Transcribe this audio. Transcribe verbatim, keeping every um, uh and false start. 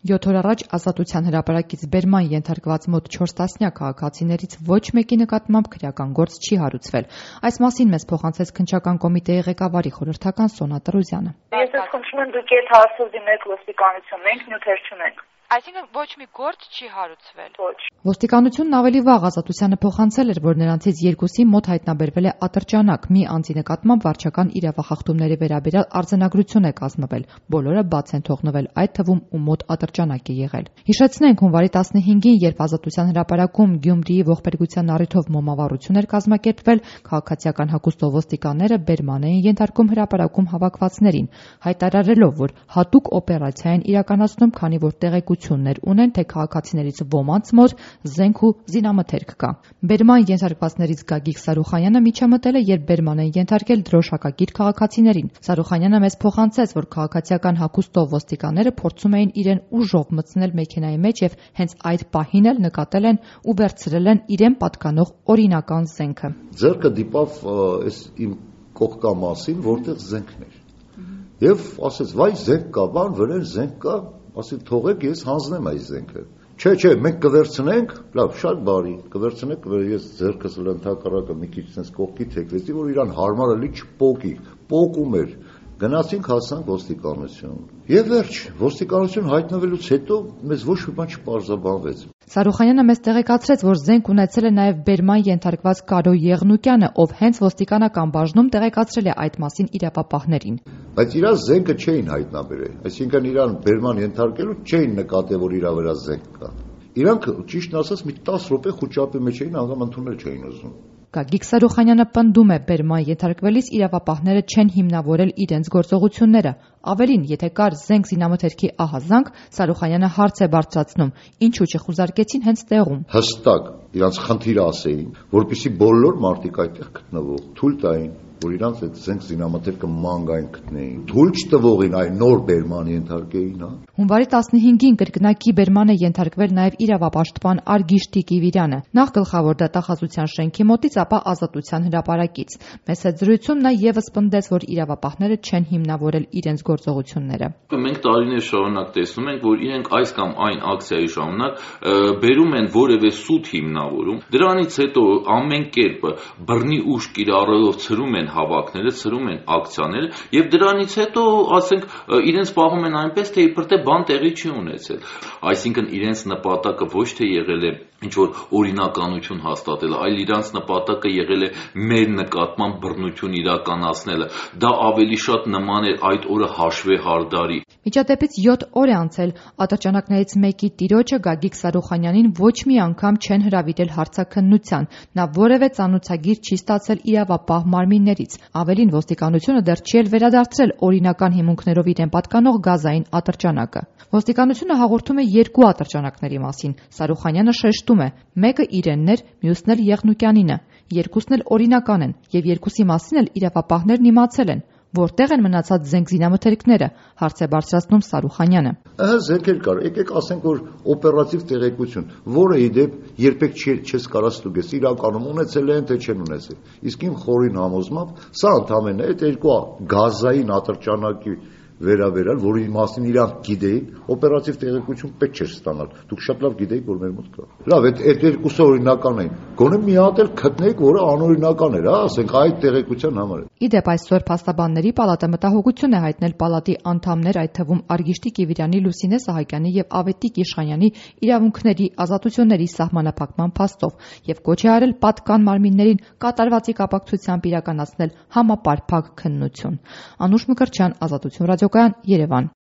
Յոթ օր առաջ Ազատության հրապարակից բերման ենթարկված մոտ չորս տասնյակ քաղաքացիներից ոչ մեկի նկատմամբ քրեական գործ չի հարուցվել։ Այս մասին մեզ փոխանցեց քննչական կոմիտեի ղեկավարի խորհրդական Սոնա Տրոզյանը։ Ես ես խնդրում եմ դուք այդ հարցով դիմեք ոստիկանություն, մենք նյութեր չունենք։ Այսինքն ոչ մի գործ չի հարուցվել։ Ոչ։ Ոստիկանությունն ավելի վաղ Ազատությանը փոխանցել էր, որ նրանցից երկուսի մոտ հայտնաբերվել է ատրճանակ, մի անձի նկատմամբ վարչական իրավախախտումների վերաբերյալ արձանագրություն է կազմվել, բոլորը բաց են թողնվել, այդ թվում ու մոտ ատրճանակ է եղել։ Հիշեցնենք, հունվարի տասնհինգին, երբ Ազատության հրապարակում Գյումրիի ողբերգության առիթով մոմավառություն էր կազմակերպվել, քաղաքացիական հագուստով ոստիկանները բերման էին ենթարկում հրապարակում հավաքվածներին, հայտարարելով, որ հատուկ օպերացիա են իրականացնում, քանի որ տեղեկություններ ունեն, թե քաղաքացիներից ոմանց մոտ զենք ու զինամթերք կա։ Բերման ենթարկվածներից Գագիկ Սարուխանյանը միջամտել է, երբ բերման են ենթարկել դրոշակակիր քաղաքացիներին։ Սարուխանյանը մեզ փոխանցեց, որ քաղաքացիական հագուստով ոստիկանները փորձում էին իրեն ուժով մտցնել մեքենայի մեջ եւ հենց այդ պահին էլ նկատել են ու վերցրել են իրեն պատկանող օրինական զենքը։ Ձեռքը դիպավ այս իմ կողքամասին, որտեղ զենքն էր։ Եվ ասեց, վայ զենք կա, բան վրան զենք կա, ասի թողեք ես հանձնեմ այս զենքը։ Չէ, չէ, մենք կվերցնենք, լավ, շատ բարի, կվերցնենք, ես ձեռքս լընդհակառակը մի քիչ sense կողքի թեքվեցի, որ իրան հարմարելի չպոկի, պոկում էր։ Գնացինք հասանք ոստիկանություն։ Եվ վերջ, ոստիկանություն հայտնվելուց հետո մեզ ոչ մի բան չպարզաբանվեց։ Սարուխանյանը մեզ տեղեկացրեց, որ զենք ունեցել է նաև բերման ենթարկված Կարո Եղնուկյանը, ով հենց ոստիկանական բաժնում տեղեկացրել է այդ մասին իրավապահներին։ Բայց իրա զենքը չէին հայտնաբերել, այսինքն իրան բերման ենթարկելու չէին նկատել, որ իրա վրա զենք կա։ Իրանք ճիշտն ասած մի տասը րոպե խուճապի մեջ էին, անգամ ընդունել չէին ուզում։ Գագիկ Սարուխանյանը պնդում է, բերման ենթարկվելիս իրավապահները չեն հիմնավորել իրենց գործողությունները։ Ավելին, եթե կար զենք զինամթերքի ահազանգ, Սարուխանյանը հարց է բարձրացնում, ինչու չխուզարկեցին հենց տեղում։ Հստակ իրանց խնդիրը ասեին, որպեսզի բոլոր մարդիկ այդտեղ գտնվող թույլ տային, որ իրանց այդ զենք զինամթերքը մանգային գտնեին։ Թույլ չտվողին այն նոր բերման ենթարկեին, հա։ Հունվարի տասնհինգին կրկնակի բերման է ենթարկվել նաև իրավապաշտպան Արգիշ Տիկիվիրյանը, նախ գլխավոր դատախազության շենքի մոտից, ապա Ազատության հրապարակից։ Մեծ հետ զրույցում նա ևս պնդեց, որ իրավապահները չեն հիմնավորել իրենց գործողությունները։ Մենք տարիներ շարունակ տեսնում ենք, որ իրենք այս կամ այն ակցիայի շարունակ բերում են որևէ սուտ հիմնավորում, դրանից հետո ամեն կերպ բռնի ուժ կիրառելով ցրում են հավաքները, ցրում են ակցիաները եւ դրանից հետո, ասենք, իրենց պահում են այնպես, թե իբր թե բան տեղի չի ունեցել։ Այսինքն իրենց նպատակը ոչ թե եղել է ինչ որ օրինականություն հաստատելը, այլ իրանց նպատակը եղել է մեր նկատմամբ բռնություն իրականացնելը։ Դա ավելի շատ նման էր այդ օրը հաշվե հարդարի։ Միջադեպից յոթ օր է անցել, ատրճանակներից մեկի տիրոջը Գագիկ Սարուխանյանին ոչ մի անգամ չեն հրավիրել հարցաքննության, նա որևէ ծանուցագիր չի ստացել իրավապահ մարմիններից։ Ավելին, ոստիկանությունը դեռ չի էլ վերադարձրել օրինական հիմունքներով իրեն պատկանող գազային ատրճանակը։ Ոստիկանությունը հաղորդում է երկու ատրճանակների մասին։ Սարուխանյանը շեշտում է, մեկը իրենն էր, մյուսն էլ Եղնուկյանինը։ Երկուսն էլ օրինական են, եւ երկուսի մասին էլ իրավապահներն իմացել են։ Որտեղ են մնացած զենք զինամթերքները, հարց է բարձրացնում Սարուխանյանը։ Ահա զենքեր կար, եկեք ասենք, որ օպերատիվ տեղեկություն, որը ի դեպ երբեք չես կարա ստուգես, իրականում ունեցել են, թե չեն ունեցել։ Իսկ իմ խորին համոզմամբ, սա ընդամենը այդ երկու գազային ատրճանակի վերաբերալ, որի մասին իրանք գիտեին, օպերատիվ տեղեկություն պետք չէր ստանալ։ Դուք շատ լավ գիտեիք, որ մեր մոտ կա։ Լավ, այդ այդ երկուսը օրինական էին։ Գոնե մի հատ էլ գտնեիք, որը անօրինական էր, հա, ասենք այդ տեղեկության համար։ Իդեպ այսօր փաստաբանների պալատը մտահոգություն է հայտնել պալատի անդամներ, այդ թվում Արգիշ Տիկիվիրյանի, Լուսինե Սահակյանի եւ Ավետիք Իշխանյանի իրավունքների, ազատությունների սահմանափակման փաստով եւ կոչ է արել պատկան մարմիններին կատարվածի կապակցությամբ իրականացնել համապարփակ քննություն։ Անուշ Մկրտչյան, Ազատություն ռադիոկայան, Երևան։